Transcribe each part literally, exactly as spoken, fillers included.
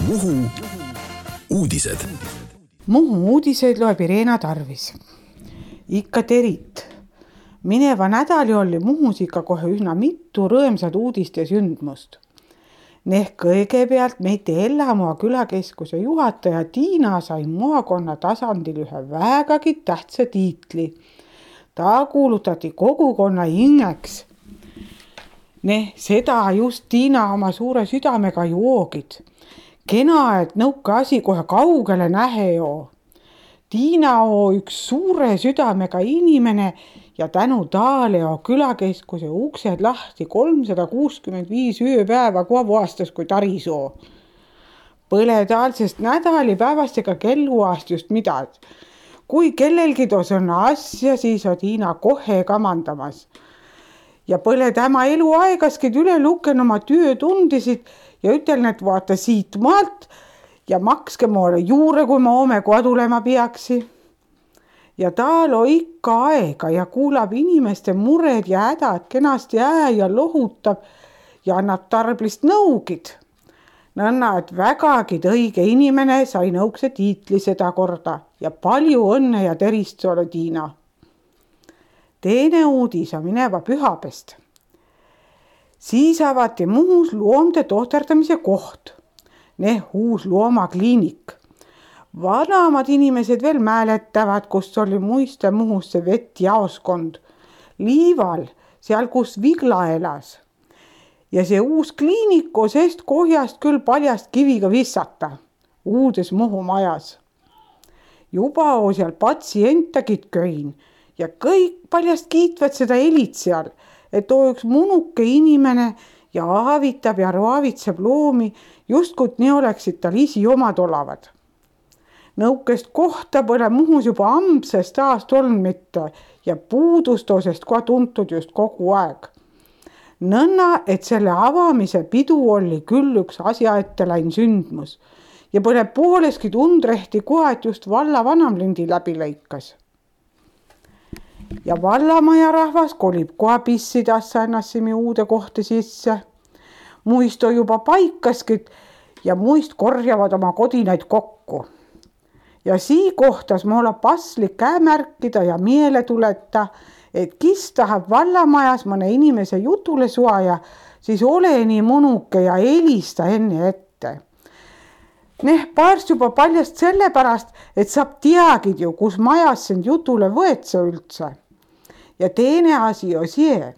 Muhu uudised. Muhu uudiseid loeb Irena Tarvis. Ikka terit. Mineva nädali oli Muhus ikka kohe üsna mitu rõõmsad uudist ja sündmust. Nehk kõigepealt meite Ellamoa külakeskuse juhataja Tiina sai maakonna tasandil ühe vägagi tähtsa tiitli. Ta kuulutati kogukonna ingeks. Neh, seda just Tiina oma suure südamega joogid. Kena, et nõuka asi kohe kaugele nähe joo. Tiina oo üks suure südamega inimene ja tänu taale oo külakeskuse uksed lahti kolmsada kuuskümmend viis ööpäeva kogu aastas kui taris oo. Põle taalsest nädali päevast ega kelluaast just midagi. Kui kellelgi tos on asja, siis on Tiina kohe kamandamas. Ja põle tämä eluaegaskid üle luken oma töötundisid ja ütlen, et vaata siit maalt ja makske mulle juure, kui ma ome kodulema peaksi. Ja taal on ikka aega ja kuulab inimeste mured ja hädad kenasti ää ja lohutab ja annab tarblist nõugid. Nõnna, et vägagid õige inimene sai nõukse tiitli seda korda ja palju õnne ja terist sulle, Tiina. Teine uudis on mineva pühapest. Siis avati Muhus loomde tohterdamise koht. Neh uus loomakliinik. Vanamad inimesed veel mäletavad, kus oli muiste Muhusse vettjaoskond. Liival, seal kus Vigla elas. Ja see uus kliinik on sest kohjast küll paljast kiviga vissata. Uudes Muhu majas. Juba on seal patsientagid köin. Ja kõik paljast kiitvad seda elit seal, et oo üks munuke inimene ja aavitab ja raavitseb loomi, justkut nii oleksid tal isi omad olavad. Nõukest kohta pole Muhus juba ampsest aast olnud mitte ja puudustosest kohe tuntud just kogu aeg. Nõnna, et selle avamise pidu oli küll üks asja ette läin sündmus ja pole pooleski tundrehti kohe, et just valla vanamlindi läbi lõikas. Ja vallamaja rahvas kolib kohe pissidassa ennassimi uude kohta sisse. Muist on juba paikaskid ja muist korjavad oma kodinaid kokku. Ja sii kohtas ma olla paslik käemärkida ja miele tuleta, et kis tahab vallamajas mõne inimese jutule suaja, siis ole nii munuke ja helista enne ette. Neh paarst juba paljast sellepärast, et saab teagid ju, kus majas sind jutule võetse üldse. Ja teine asi on see,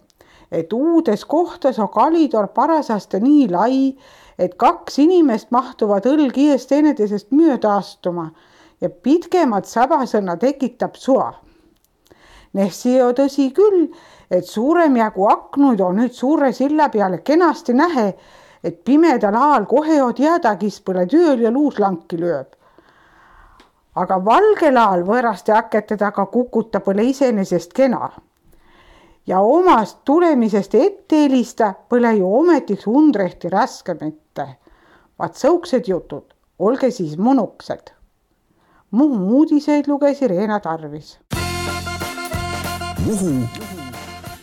et uudes kohtas on kalidor parasaste nii lai, et kaks inimest mahtuvad õlgi eest teineteisest mööda astuma ja pitkemat sabasõna tekitab sua. Neh see on tõsi küll, et suurem jagu aknuid on nüüd suure silla peale kenasti nähe, et pimedal aal kohe on teadagis põle tööl ja luuslanki lööb. Aga valgel aal võõraste akete taga kukuta põle isenesest kena. Ja omast tulemisest ette helista põle ju ometiks undrehti raske mitte. Vaat sõuksed jutud, olge siis munuksed. Muhu uudiseid luges Irena Tarvis. Muhu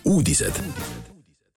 uudised.